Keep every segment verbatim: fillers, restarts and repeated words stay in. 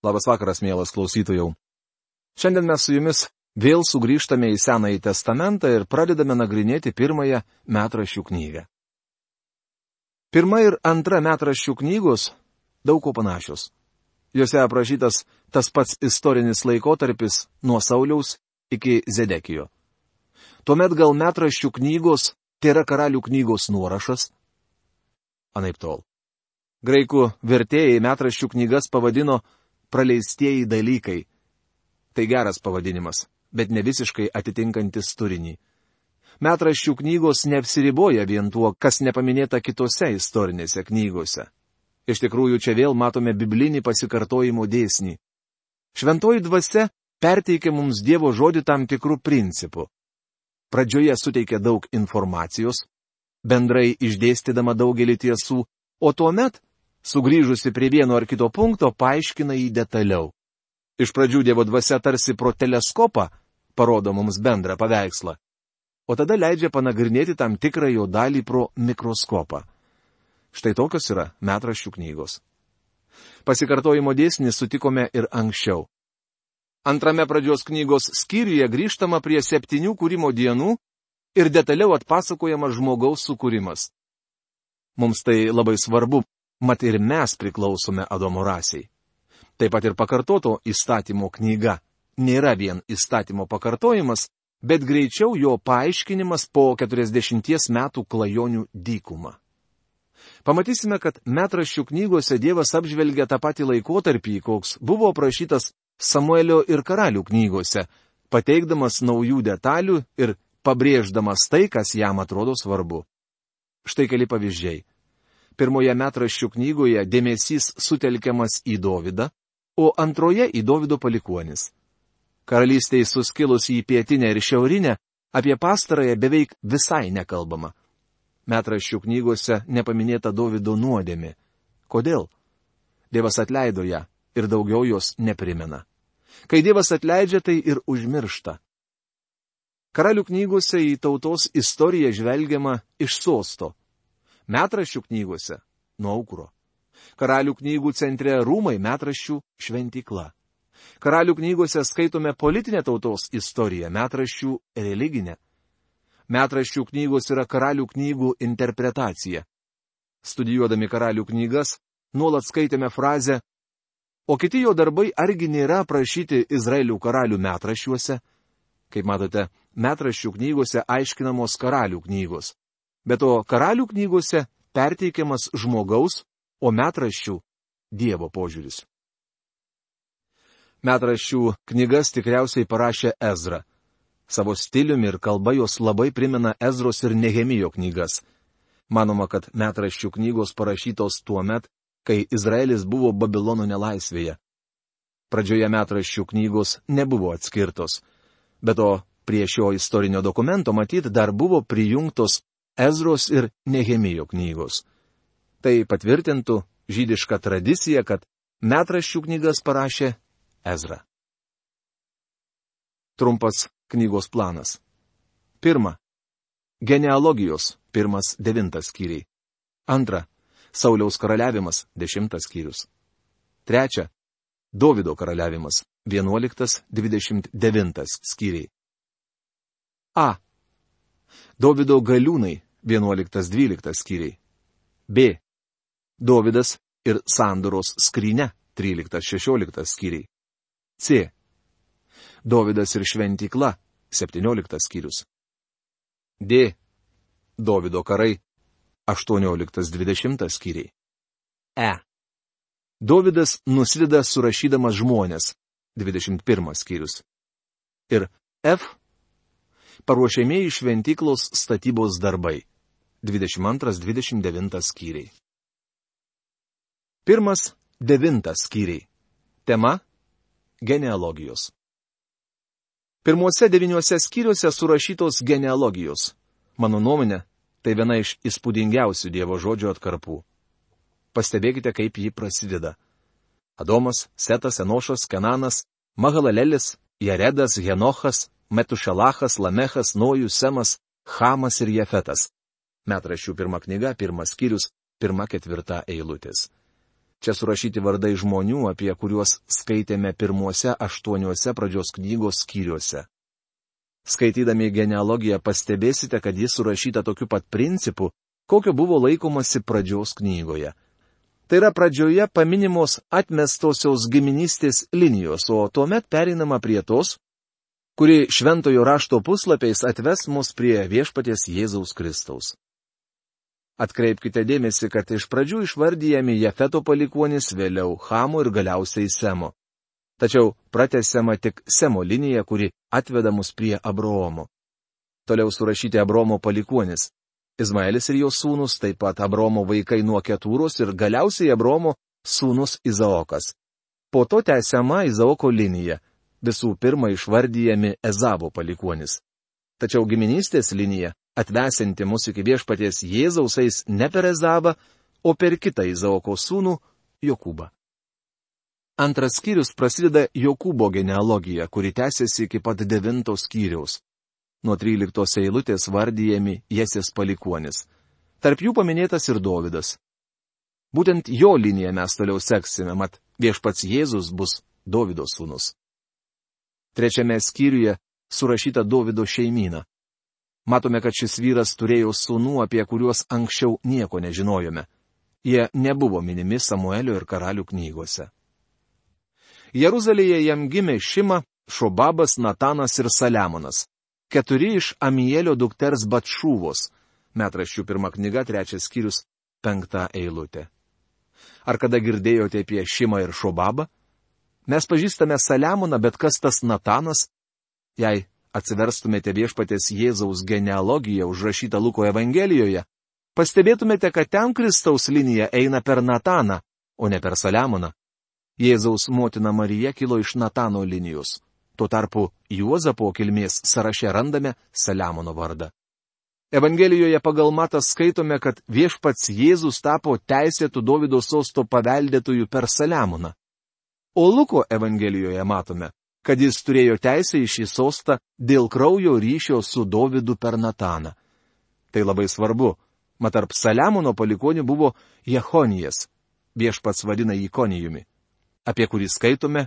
Labas vakaras, mielas klausytojau. Šiandien mes su jumis vėl sugrįžtame į Senąjį testamentą ir pradedame nagrinėti pirmąją metraščių knygą. Pirma ir antra metraščių knygos daug ko panašios. Jose aprašytas tas pats istorinis laikotarpis nuo Sauliaus iki Zedekijo. Tuomet gal metraščių knygos tėra karalių knygos nuorašas? Anaiptol. Graikų vertėjai metraščių knygas pavadino praleistieji dalykai. Tai geras pavadinimas, bet ne visiškai atitinkantis turinį. Metraščių knygos neapsiriboja vien tuo, kas nepaminėta kitose istorinėse knygose. Iš tikrųjų, čia vėl matome biblinį pasikartojimo dėsnį. Šventoji dvasia perteikia mums Dievo žodį tam tikrų principų. Pradžioje suteikia daug informacijos, bendrai išdėstydama daugelį tiesų, o tuomet, sugrįžusi prie vieno ar kito punkto, paaiškina jį detaliau. Iš pradžių Dievo dvasia tarsi pro teleskopą parodo mums bendrą paveikslą, o tada leidžia panagrinėti tam tikrą jo dalį pro mikroskopą. Štai tokios yra metraščių knygos. Pasikartojimo dėsnį sutikome ir anksčiau. Antrame pradžios knygos skyriuje grįžtama prie septynių kūrimo dienų ir detaliau atpasakojama žmogaus sukūrimas. Mums tai labai svarbu, mat ir mes priklausome Adomo rasiai. Taip pat ir pakartoto įstatymo knyga nėra vien įstatymo pakartojimas, bet greičiau jo paaiškinimas po keturiasdešimties metų klajonių dykumą. Pamatysime, kad metraščių knygose Dievas apžvelgia tą patį laikotarpį, koks buvo aprašytas Samuelio ir karalių knygose, pateikdamas naujų detalių ir pabrėždamas tai, kas jam atrodo svarbu. Štai keli pavyzdžiai. Pirmoje metraščių knygoje dėmesys sutelkiamas į Dovydą, o antroje į Dovydo palikuonis. Karalystėje suskilus į pietinę ir šiaurinę, apie pastarąją beveik visai nekalbama. Metraščių knygose nepaminėta Dovydo nuodėmė. Kodėl? Dievas atleido ją ir daugiau jos neprimena. Kai Dievas atleidžia, tai ir užmiršta. Karalių knygose į tautos istoriją žvelgiama iš sosto. Metraščių knygose – nuo aukuro. Karalių knygų centre rūmai, metraščių šventykla. Karalių knygose skaitome politinę tautos istoriją, metraščių religinę. Metraščių knygos yra karalių knygų interpretacija. Studijuodami karalių knygas, nuolat skaitėme frazę, o kiti jo darbai argi nėra aprašyti Izraelių karalių metraščiuose? Kaip matote, metraščių knygose aiškinamos karalių knygos. Bet o karalių knygose perteikiamas žmogaus, o metraščių Dievo požiūris. Metraščių knygas tikriausiai parašė Ezra. Savo stiliumi ir kalba jos labai primena Ezros ir Nehemijo knygas. Manoma, kad metraščių knygos parašytos tuo met, kai Izraelis buvo Babilono nelaisvėje. Pradžioje metraščių knygos nebuvo atskirtos. Bet o prie šio istorinio dokumento matyt dar buvo prijungtos Ezros ir Nehemijo knygos. Tai patvirtintų žydišką tradiciją, kad metraščių knygas parašė Ezra. Trumpas knygos planas. Pirma. Genealogijos, pirmas devintas skyriai. Antra. Sauliaus karaliavimas, dešimtas skyrius. Trečia. Dovydo karaliavimas, vienuoliktas dvidešimt devintas skyriai. A. Dovydo galiūnai, vienuoliktas dvyliktas skyriai. B. Dovydas ir sandoros skrynia, tryliktas šešioliktas skyriai. C. Dovydas ir šventykla, septynioliktas skyrius. D. Dovydo karai, aštuonioliktas dvidešimtas skyriai. E. Dovydas nuslida surašydamas žmonės, dvidešimt pirmas skyrius. Ir F. Paruošiamieji šventyklos statybos darbai, dvidešimt antras dvidešimt devintas skyriai. Pirmas devintas skyriai. Tema – genealogijos. Pirmuose devyniuose skyriuose surašytos genealogijos. Mano nuomonė, tai viena iš įspūdingiausių Dievo žodžio atkarpų. Pastebėkite, kaip ji prasideda. Adomas, Setas, Enošas, Kenanas, Mahalalelis, Jaredas, Henochas, Metušelachas, Lamechas, Nojus, Semas, Chamas ir Jefetas. Metraščių pirma knyga, pirmas skyrius, pirma ketvirta eilutės. Čia surašyti vardai žmonių, apie kuriuos skaitėme pirmuose aštuoniuose pradžios knygos skyriuose. Skaitydami genealogiją pastebėsite, kad jis surašyta tokiu pat principu, kokio buvo laikomasi pradžios knygoje. Tai yra pradžioje paminimos atmestosios giminystės linijos, o tuomet pereinama prie tos, kuri šventojo rašto puslapiais atves mus prie viešpaties Jėzaus Kristaus. Atkreipkite dėmesį, kad iš pradžių išvardyjami Jafeto palikuonys, vėliau Chamo ir galiausiai Semo. Tačiau pratęsiama tik Semo linija, kuri atveda mus prie Abraomo. Toliau surašyti Abraomo palikuonys. Izmaelis ir jo sūnus, taip pat Abraomo vaikai nuo Ketūros ir galiausiai Abraomo sūnus Izaokas. Po to tęsiama Izaoko linija. Visų pirma išvardyjami Ezavo palikuonys. Tačiau giminystės linija, atvesinti mus iki viešpaties Jėzaus, eis ne per Ezavą, o per kitą Izaoko sūnų Jokūbą. Antras skyrius prasideda Jokūbo genealogija, kuri tęsiasi iki pat devintos skyriaus. Nuo tryliktos eilutės vardyjami Jesės palikuonis. Tarp jų paminėtas ir Dovydas. Būtent jo liniją mes toliau seksime, mat viešpats Jėzus bus Dovydo sūnus. Trečiame skyriuje surašyta Dovydo šeimyna. Matome, kad šis vyras turėjo sūnų, apie kuriuos anksčiau nieko nežinojome. Jie nebuvo minimi Samuelio ir karalių knygose. Jeruzalėje jam gimė Šima, Šobabas, Natanas ir Saliamonas. Keturi iš Amielio dukters Batšūvos. Metraščių pirma knyga, trečias skyrius, penkta eilutė. Ar kada girdėjote apie Šimą ir Šobabą? Mes pažįstame Saliamoną, bet kas tas Natanas? Jei atsiverstumėte viešpatės Jėzaus genealogiją užrašytą Luko Evangelijoje, pastebėtumėte, kad ten Kristaus linija eina per Nataną, o ne per Saliamoną. Jėzaus motina Marija kilo iš Natano linijos. Tuo tarpu Juozapo kilmės sąraše randame Saliamono vardą. Evangelijoje pagal Matą skaitome, kad viešpats Jėzus tapo teisėtų Dovydo sosto paveldėtojų per Saliamoną. O Luko Evangelijoje matome, kad jis turėjo teisę į šį sostą dėl kraujo ryšio su Dovydu per Nataną. Tai labai svarbu, mat tarp Saliamono palikonių buvo Jechonijas, viešpats vadina jį Konijumi, apie kurį skaitome,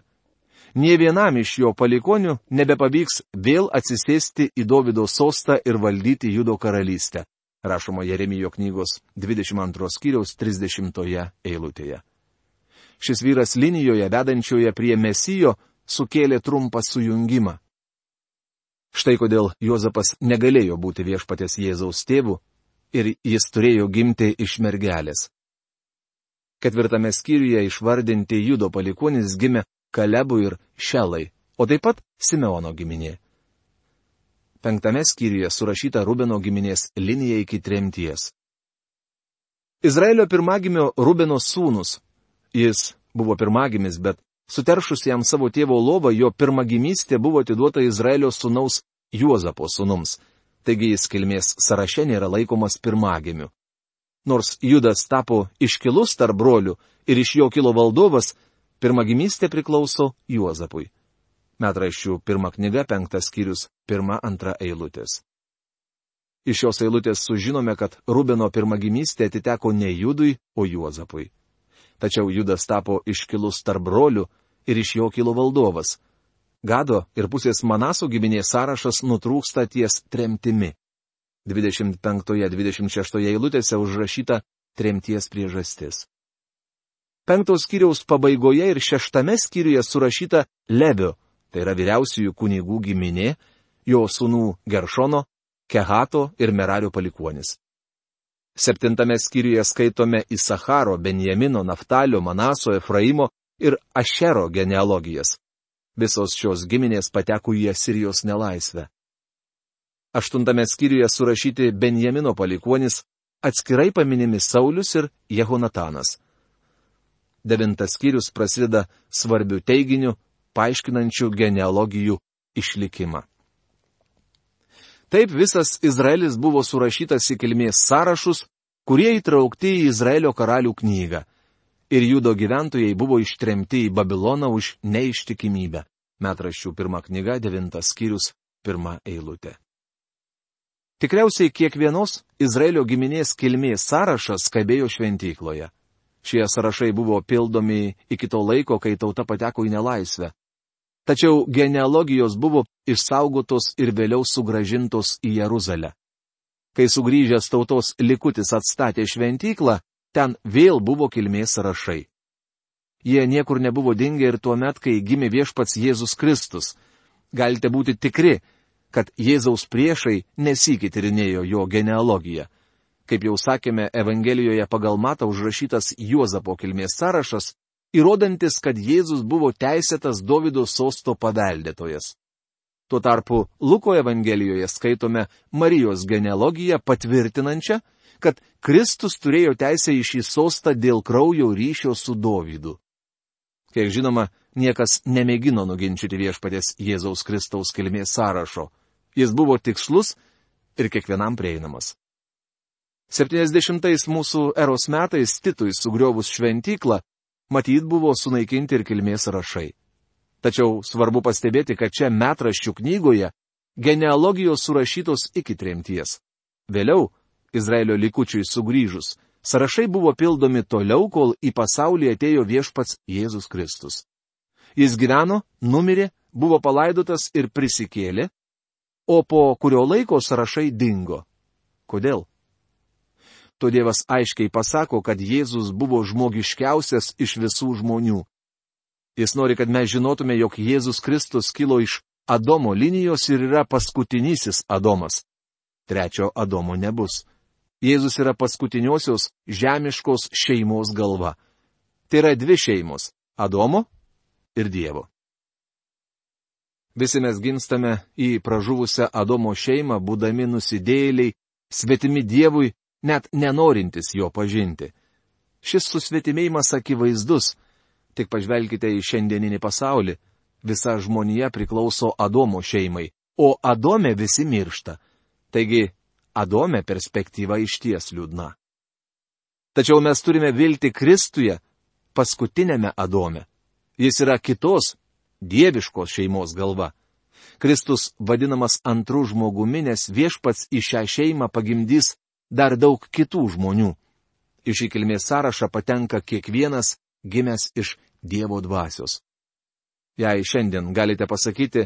nė vienam iš jo palikonių nebepavyks vėl atsisėsti į Dovydo sostą ir valdyti Judo karalystę, rašoma Jeremijo knygos dvidešimt antros skyriaus trisdešimtoje eilutėje. Šis vyras linijoje vedančioje prie Mesijo sukėlė trumpą sujungimą. Štai kodėl Juozapas negalėjo būti viešpatės Jėzaus tėvu ir jis turėjo gimti iš mergelės. Ketvirtame skyriuje išvardinti Judo palikuonys gimė Kalebui ir Šelai, o taip pat Simeono giminė. Penktame skyriuje surašyta Rubeno giminės linija iki tremties. Izraelio pirmagimio Rubeno sūnus. Jis buvo pirmagimis, bet suteršus jam savo tėvo lovą, jo pirmagimystė buvo atiduota Izraelio sūnaus Juozapo sūnums, taigi jis kilmės sąraše nėra laikomas pirmagimiu. Nors Judas tapo iškilus tarp brolių ir iš jo kilo valdovas, pirmagimystė priklauso Juozapui. Metraščių pirma knyga, penktas skyrius, pirma, antra eilutės. Iš šios eilutės sužinome, kad Rubeno pirmagimystė atiteko ne Judui, o Juozapui. Tačiau Judas tapo iškilus tarp brolių ir iš jo kilo valdovas. Gado ir pusės Manaso giminės sąrašas nutrūksta ties tremtimi. dvidešimt penktoje dvidešimt šeštoje eilutėse užrašyta tremties priežastis. Penktos skyriaus pabaigoje ir šeštame skyriuje surašyta Levio, tai yra vyriausiųjų kunigų giminė, jo sūnų Geršono, Kehato ir Merario palikuonis. Septintame skyriuje skaitome Isacharo, Benjamino, Naftalio, Manaso, Efraimo ir Ašero genealogijas. Visos šios giminės pateko į Asirijos nelaisvę. Aštuntame skyriuje surašyti Benjamino palikuonis, atskirai paminimi Saulius ir Jehonatanas. Devintas skyrius prasideda svarbių teiginių, paaiškinančių genealogijų išlikimą. Taip visas Izraelis buvo surašytas į kilmės sąrašus, kurie įtraukti į Izraelio karalių knygą. Ir Judo gyventojai buvo ištremti į Babiloną už neištikimybę. Metraščių pirma knyga, devintas skyrius, pirma eilutė. Tikriausiai kiekvienos Izraelio giminės kilmės sąrašas kabėjo šventykloje. Šie sąrašai buvo pildomi iki to laiko, kai tauta pateko į nelaisvę. Tačiau genealogijos buvo išsaugotos ir vėliau sugražintos į Jeruzalę. Kai sugrįžęs tautos likutis atstatė šventyklą, ten vėl buvo kilmės sąrašai. Jie niekur nebuvo dingę ir tuo met, kai gimė viešpats Jėzus Kristus. Galite būti tikri, kad Jėzaus priešai nesykį tyrinėjo jo genealogiją. Kaip jau sakėme, Evangelijoje pagal Matą užrašytas Juozapo kilmės sąrašas, įrodantis, kad Jėzus buvo teisėtas Dovydo sosto paveldėtojas. Tuo tarpu Luko Evangelijoje skaitome Marijos genealogiją patvirtinančią, kad Kristus turėjo teisę į šį sostą dėl kraujo ryšio su Dovydu. Kiek žinoma, niekas nemėgino nuginčyti viešpaties Jėzaus Kristaus kilmės sąrašo. Jis buvo tikslus ir kiekvienam prieinamas. septyniasdešimtais mūsų eros metais Titui sugriovus šventyklą, matyt buvo sunaikinti ir kilmės sąrašai. Tačiau svarbu pastebėti, kad čia metraščių knygoje genealogijos surašytos iki tremties. Vėliau, Izraelio likučiui sugrįžus, sąrašai buvo pildomi toliau, kol į pasaulį atėjo viešpats Jėzus Kristus. Jis gyveno, numirė, buvo palaidotas ir prisikėlė, o po kurio laiko sąrašai dingo. Kodėl? To Dievas aiškiai pasako, kad Jėzus buvo žmogiškiausias iš visų žmonių. Jis nori, kad mes žinotume, jog Jėzus Kristus kilo iš Adomo linijos ir yra paskutinysis Adomas. Trečio Adomo nebus. Jėzus yra paskutiniosios žemiškos šeimos galva. Tai yra dvi šeimos - Adomo ir Dievo. Visi mes gimstame į pražuvusią Adomo šeimą, būdami nusidėjėliai, svetimi Dievui, net nenorintis jo pažinti. Šis susvetimėjimas akivaizdus. Tik pažvelkite į šiandieninį pasaulį. Visa žmonija priklauso Adomo šeimai, o Adome visi miršta. Taigi, Adome perspektyva išties liūdna. Tačiau mes turime viltį Kristuje, paskutinėme Adome. Jis yra kitos, dieviškos šeimos galva. Kristus vadinamas antru žmogumi, nes viešpats į šią šeimą pagimdys dar daug kitų žmonių. Į šį kilmės sąrašą patenka kiekvienas gimęs iš Dievo dvasios. Jei šiandien galite pasakyti,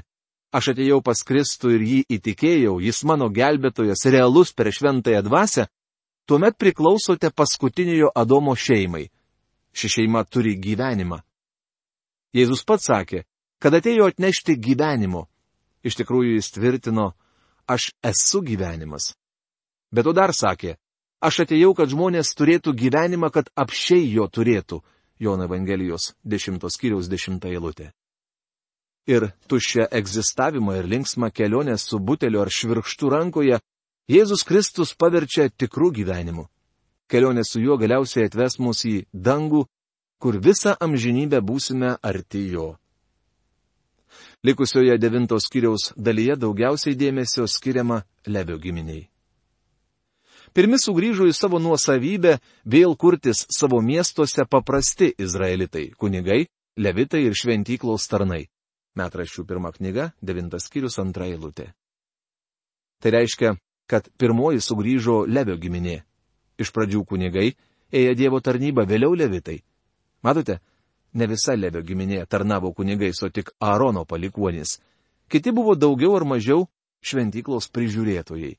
aš atėjau pas Kristų ir jį įtikėjau, jis mano gelbėtojas realus per šventąją dvasią, tuomet priklausote paskutiniojo Adomo šeimai. Ši šeima turi gyvenimą. Jėzus pats sakė, kad atėjo atnešti gyvenimo. Iš tikrųjų jis tvirtino, aš esu gyvenimas. Bet to dar sakė, aš atėjau, kad žmonės turėtų gyvenimą, kad apsčiai jo turėtų. Jono Evangelijos dešimtos skyriaus dešimta eilutė. Ir tuščią egzistavimą ir linksmą kelionę su buteliu ar švirkštu rankoje Jėzus Kristus paverčia tikrų gyvenimu. Kelionė su juo galiausiai atves mus į dangų, kur visą amžinybę būsime arti jo. Likusioje devintos skyriaus dalyje daugiausiai dėmesio skiriama Levio giminiai. Pirmi sugrįžo į savo nuosavybę vėl kurtis savo miestuose paprasti izraelitai, kunigai, levitai ir šventyklos tarnai. Metraščių pirma knyga, devintas skyrius, antra eilutė. Tai reiškia, kad pirmoji sugrįžo Levio giminė. Iš pradžių kunigai ėjo Dievo tarnybą, vėliau levitai. Matote, ne visa Levio giminė tarnavo kunigais, o tik Aarono palikuonys. Kiti buvo daugiau ar mažiau šventyklos prižiūrėtojai.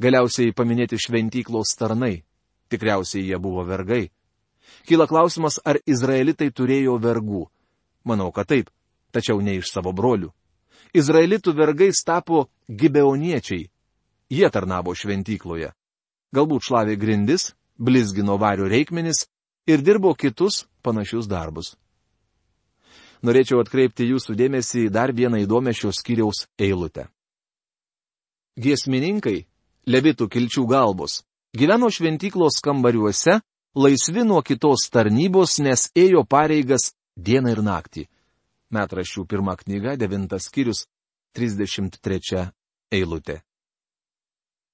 Galiausiai paminėti šventyklos tarnai. Tikriausiai jie buvo vergai. Kyla klausimas, ar izraelitai turėjo vergų. Manau, kad taip, tačiau ne iš savo brolių. Izraelitų vergais tapo gibeoniečiai. Jie tarnavo šventykloje. Galbūt šlavė grindis, blizgino vario reikmenis ir dirbo kitus panašius darbus. Norėčiau atkreipti jūsų dėmesį į dar vieną įdomią šios skyriaus eilutę. Giesmininkai, levitų kilčių galvos, gyveno šventyklos kambariuose, laisvi nuo kitos tarnybos, nes ėjo pareigas dieną ir naktį. Metraščių pirma knyga, devintas skyrius, trisdešimt trečia eilutė.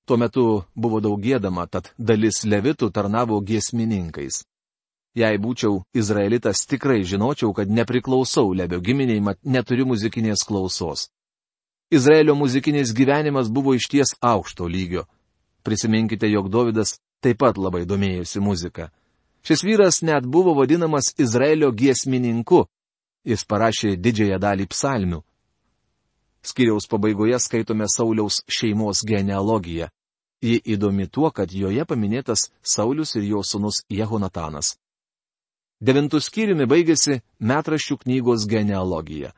Tuo metu buvo daug giedama, tad dalis levitų tarnavo giesmininkais. Jei būčiau izraelitas, tikrai žinočiau, kad nepriklausau Levio giminiai, mat neturiu muzikinės klausos. Izraelio muzikinis gyvenimas buvo išties aukšto lygio. Prisiminkite, jog Dovydas taip pat labai domėjosi muzika. Šis vyras net buvo vadinamas Izraelio giesmininku. Jis parašė didžiąją dalį psalmių. Skyriaus pabaigoje skaitome Sauliaus šeimos genealogiją. Ji įdomi tuo, kad joje paminėtas Saulius ir jo sūnus Jehonatanas. Devintų skyriumi baigėsi metraščių knygos genealogija.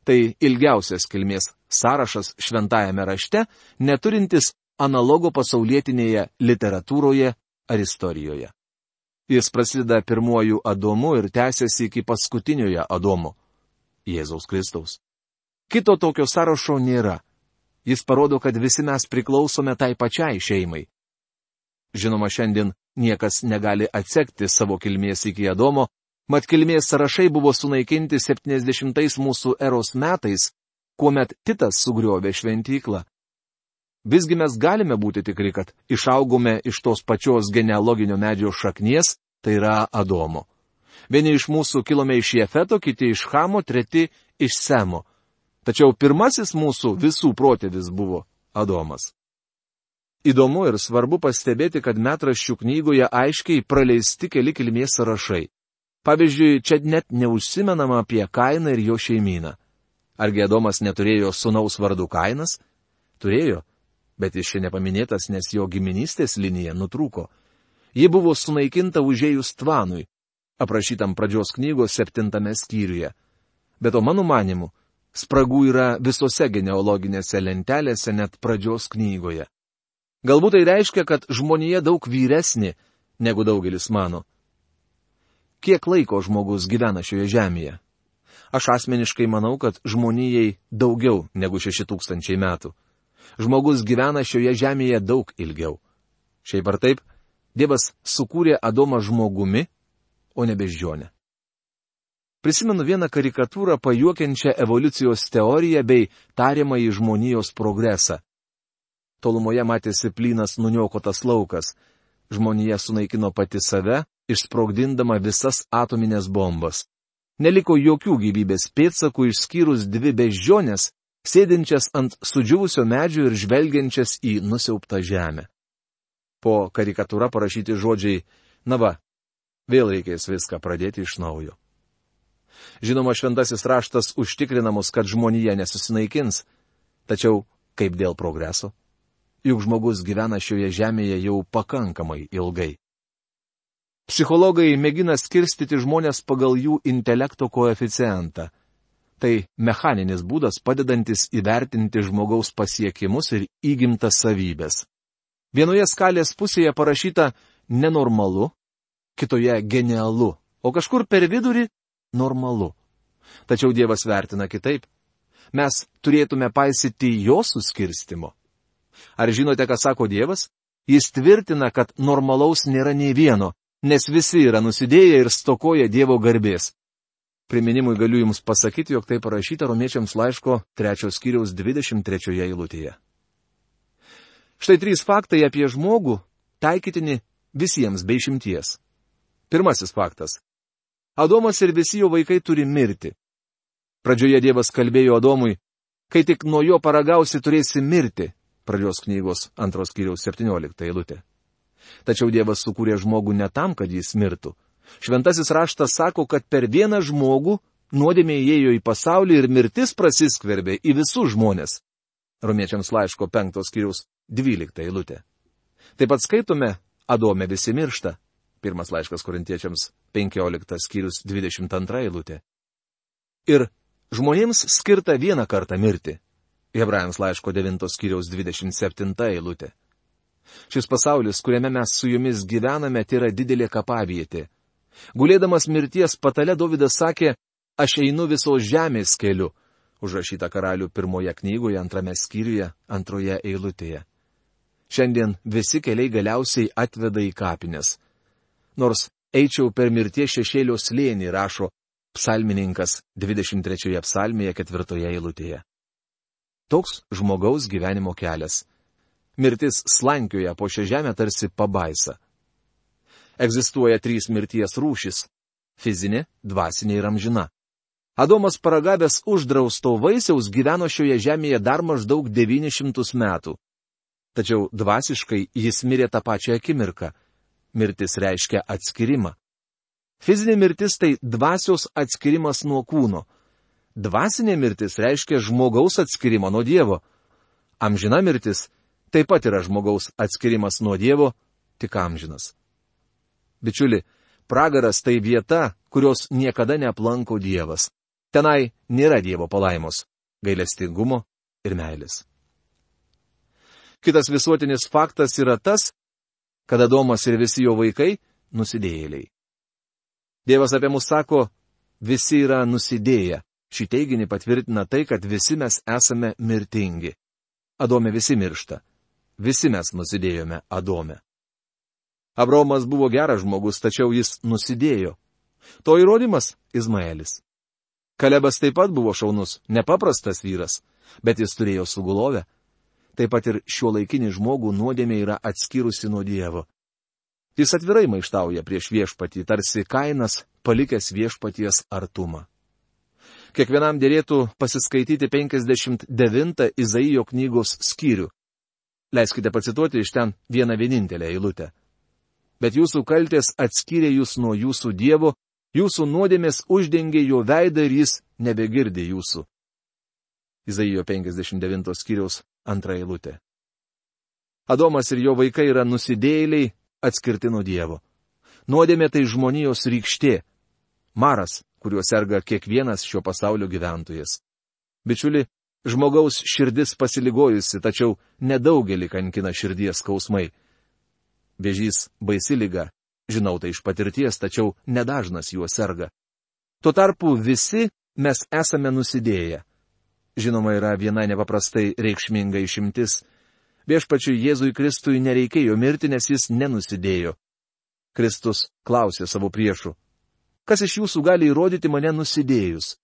Tai ilgiausias kilmės sąrašas šventajame rašte, neturintis analogo pasaulietinėje literatūroje ar istorijoje. Jis prasideda pirmuoju Adomu ir tęsiasi iki paskutiniojo Adomo, Jėzaus Kristaus. Kito tokio sąrašo nėra. Jis parodo, kad visi mes priklausome tai pačiai šeimai. Žinoma, šiandien niekas negali atsekti savo kilmės iki Adomo, mat kilmės sąrašai buvo sunaikinti septyniasdešimtais mūsų eros metais, kuomet Titas sugriovė šventyklą. Visgi mes galime būti tikri, kad išaugome iš tos pačios genealoginio medžio šaknies, tai yra Adomo. Vieni iš mūsų kilome iš Jefeto, kiti iš Chamo, treti iš Semo. Tačiau pirmasis mūsų visų protėvis buvo Adomas. Įdomu ir svarbu pastebėti, kad metraščių knygoje aiškiai praleisti keli kilmės sąrašai. Pavyzdžiui, čia net neužsimenama apie Kainą ir jo šeimyną. Argi Adomas neturėjo sūnaus vardu Kainas? Turėjo, bet jis čia nepaminėtas, nes jo giminystės linija nutrūko. Ji buvo sunaikinta užėjus Tvanui, aprašytam pradžios knygos septintame skyriuje. Bet o mano manimu, spragų yra visose genealoginėse lentelėse, net pradžios knygoje. Galbūt tai reiškia, kad žmonija daug vyresnė, negu daugelis mano. Kiek laiko žmogus gyvena šioje žemėje? Aš asmeniškai manau, kad žmonijai daugiau negu šeši tūkstančiai metų. Žmogus gyvena šioje žemėje daug ilgiau. Šiaip ar taip, Dievas sukūrė Adomą žmogumi, o ne beždžionę. Prisimenu vieną karikatūrą pajuokiančią evoliucijos teoriją bei tariamąjį žmonijos progresą. Tolumoje matėsi plynas nuniokotas laukas. Žmonija sunaikino pati save, išsprogdindama visas atominės bombas. Neliko jokių gyvybės pėdsakų išskyrus dvi beždžionės, sėdinčias ant sudžiūvusio medžio ir žvelgiančias į nusiaubtą žemę. Po karikatūra parašyti žodžiai, na va, vėl reikės viską pradėti iš naujo. Žinoma, šventasis raštas užtikrina mus, kad žmonija nesusinaikins, tačiau kaip dėl progreso? Juk žmogus gyvena šioje žemėje jau pakankamai ilgai. Psichologai mėgina skirstyti žmonės pagal jų intelekto koeficientą. Tai mechaninis būdas padedantis įvertinti žmogaus pasiekimus ir įgimtas savybės. Vienoje skalės pusėje parašyta nenormalu, kitoje genialu, o kažkur per vidurį normalu. Tačiau Dievas vertina kitaip. Mes turėtume paisyti jo suskirstimo. Ar žinote, ką sako Dievas? Jis tvirtina, kad normalaus nėra nei vieno, nes visi yra nusidėję ir stokoja Dievo garbės. Priminimui galiu jums pasakyti, jog tai parašyta Romiečiams laiško trečios skyriaus dvidešimt trečioje eilutėje. Štai trys faktai apie žmogų, taikytini visiems be išimties. Pirmasis faktas. Adomas ir visi jo vaikai turi mirti. Pradžioje Dievas kalbėjo Adomui, kai tik nuo jo paragausi turėsi mirti, pradžios knygos antros skyriaus septyniolikta eilutė. Tačiau Dievas sukūrė žmogų ne tam, kad jis mirtų. Šventasis raštas sako, kad per vieną žmogų nuodėmė įėjo į pasaulį ir mirtis prasiskverbė į visus žmonės. Romiečiams laiško penktos skyriaus dvylikta eilutė. Taip pat skaitome, Adome visi miršta. Pirmas laiškas Korintiečiams penkioliktas skyrius dvidešimt antra eilutė. Ir žmonėms skirta vieną kartą mirti. Hebrajams laiško devintos skyriaus dvidešimt septinta eilutė. Šis pasaulis, kuriame mes su jumis gyvename, tai yra didelė kapavietė. Gulėdamas mirties patale Dovydas sakė, aš einu visos žemės keliu, užrašyta Karalių pirmoje knygoje, antrame skyriuje, antroje eilutėje. Šiandien visi keliai galiausiai atveda į kapines. Nors eičiau per mirties šešėlio slėnį, rašo psalmininkas dvidešimt trečioje psalmėje ketvirtoje eilutėje. Toks žmogaus gyvenimo kelias. Mirtis slankioja po šią žemę tarsi pabaisa. Egzistuoja trys mirties rūšis – fizinė, dvasinė ir amžina. Adomas paragavęs uždrausto vaisiaus gyveno šioje žemėje dar maždaug devynis šimtus metų. Tačiau dvasiškai jis mirė tą pačią akimirką. mirtis reiškia atskirimą. Fizinė mirtis tai dvasios atskirimas nuo kūno. Dvasinė mirtis reiškia žmogaus atskirimą nuo Dievo. Amžina mirtis taip pat yra žmogaus atskirimas nuo Dievo, tik amžinas. Bičiuli, pragaras tai vieta, kurios niekada neaplanko Dievas. Tenai nėra Dievo palaimos, gailestingumo ir meilės. Kitas visuotinis faktas yra tas, kad Adomas ir visi jo vaikai nusidėjėliai. Dievas apie mus sako, visi yra nusidėję. Šį teiginį patvirtina tai, kad visi mes esame mirtingi. Adome visi miršta. Visi mes nusidėjome Adome. Abraomas buvo geras žmogus, tačiau jis nusidėjo. To įrodymas Izmaelis. Kalebas taip pat buvo šaunus, nepaprastas vyras, bet jis turėjo sugulovę. Taip pat ir šiuolaikinį žmogų nuodėmė yra atskyrusi nuo Dievo. Jis atvirai maištauja prieš viešpatį, tarsi Kainas palikęs viešpaties artumą. Kiekvienam dėrėtų pasiskaityti penkiasdešimt devintą Izaijo knygos skyrių. Leiskite pacituoti iš ten vieną vienintelę eilutę. Bet jūsų kaltės atskyrė jūs nuo jūsų Dievo, jūsų nuodėmės uždengė jo veidą ir jis nebegirdi jūsų. Izaijo penkiasdešimt devinto skyriaus antra eilutė. Adomas ir jo vaikai yra nusidėjėliai, atskirti nuo Dievo. Nuodėmė tai žmonijos rykštė, maras, kuriuo serga kiekvienas šio pasaulio gyventojas. Bičiuli, žmogaus širdis pasiligojusi, tačiau nedaugelį kankina širdies skausmai. Vėžys baisi liga, žinau tai iš patirties, tačiau nedažnas juo serga. Tuo tarpu visi mes esame nusidėję. Žinoma, yra viena nepaprastai reikšminga išimtis. Viešpačiui Jėzui Kristui nereikėjo mirti, nes jis nenusidėjo. Kristus klausė savo priešų. Kas iš jūsų gali įrodyti mane nusidėjus?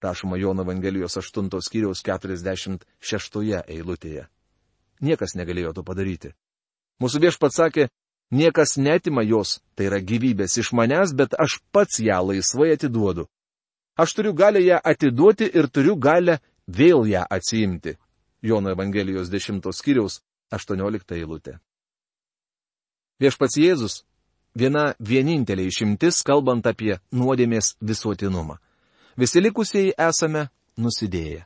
Rašoma Jono Evangelijos aštuntos skyriaus keturiasdešimt šeštoje eilutėje. Niekas negalėjo to padaryti. Mūsų viešpats sakė, niekas netima jos, tai yra gyvybės iš manęs, bet aš pats ją laisvai atiduodu. Aš turiu galę ją atiduoti ir turiu galę vėl ją atsiimti. Jono Evangelijos dešimtos skyriaus aštuoniolikta eilutė. Viešpats Jėzus viena vienintelė išimtis, kalbant apie nuodėmės visuotinumą. Visi likusieji esame nusidėję.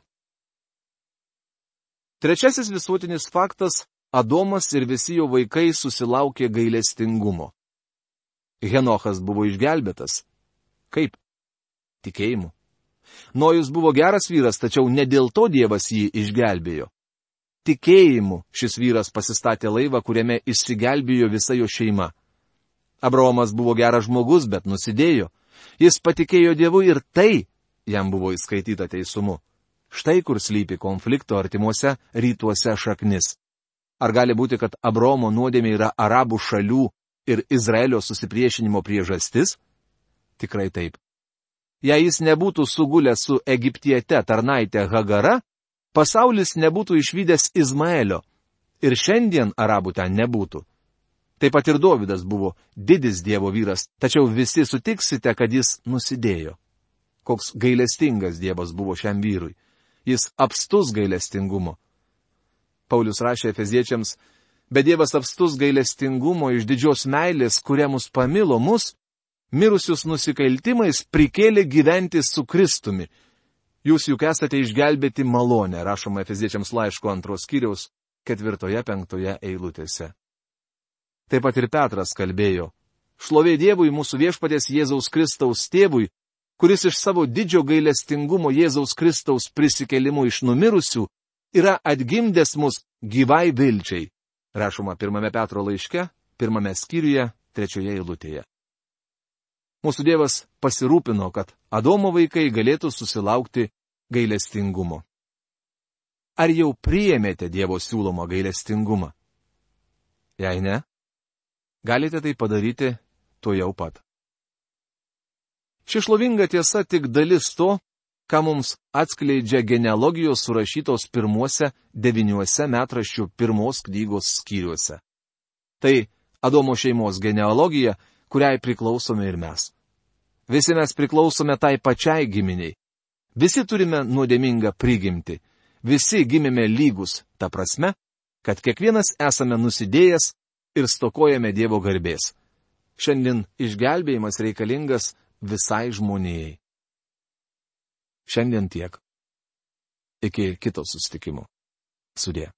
Trečiasis visuotinis faktas – Adomas ir visi jo vaikai susilaukė gailestingumo. Henochas buvo išgelbėtas. Kaip? Tikėjimu. Nojus buvo geras vyras, tačiau ne dėl to Dievas jį išgelbėjo. Tikėjimu šis vyras pasistatė laivą, kuriame išsigelbėjo visa jo šeima. Abraomas buvo geras žmogus, bet nusidėjo. Jis patikėjo Dievu ir tai jam buvo įskaityta teisumu. Štai kur slypi konflikto artimuose rytuose šaknis. Ar gali būti, kad Abraomo nuodėmė yra arabų šalių ir Izraelio susipriešinimo priežastis? Tikrai taip. Jei jis nebūtų sugulęs su egiptiete tarnaitė Hagara, pasaulis nebūtų išvydęs Izmaelio ir šiandien arabų ten nebūtų. Taip pat ir Dovydas buvo didis Dievo vyras, tačiau visi sutiksite, kad jis nusidėjo. Koks gailestingas Dievas buvo šiam vyrui. Jis apstus gailestingumo. Paulius rašė Efeziečiams, bet Dievas apstus gailestingumo iš didžios meilės, kuria mus pamilo mus, mirusius nusikaltimais prikėlė gyventi su Kristumi. Jūs juk esate išgelbėti malonę, rašoma Efeziečiams laiško antros skyriaus ketvirtoje penktoje eilutėse. Taip pat ir Petras kalbėjo, šlovė Dievui mūsų viešpaties Jėzaus Kristaus tėvui, kuris iš savo didžio gailestingumo Jėzaus Kristaus prisikėlimu iš numirusių yra atgimdęs mus gyvai vilčiai, rašoma pirmame Petro laiške, pirmame skyriuje, trečioje eilutėje. Mūsų Dievas pasirūpino, kad Adomo vaikai galėtų susilaukti gailestingumo. Ar jau priėmėte Dievo siūlomą gailestingumą? Jei ne, galite tai padaryti tuojau pat. Ši šlovinga tiesa tik dalis to, ką mums atskleidžia genealogijos surašytos pirmuose devyniuose metraščių pirmos knygos skyriuose. Tai Adomo šeimos genealogija, kuriai priklausome ir mes. Visi mes priklausome tai pačiai giminiai. Visi turime nuodėmingą prigimtį. Visi gimėme lygus, ta prasme, kad kiekvienas esame nusidėjęs ir stokojame Dievo garbės. Šiandien išgelbėjimas reikalingas visai žmonijai. Šiandien tiek. Iki kito susitikimo. Sudie.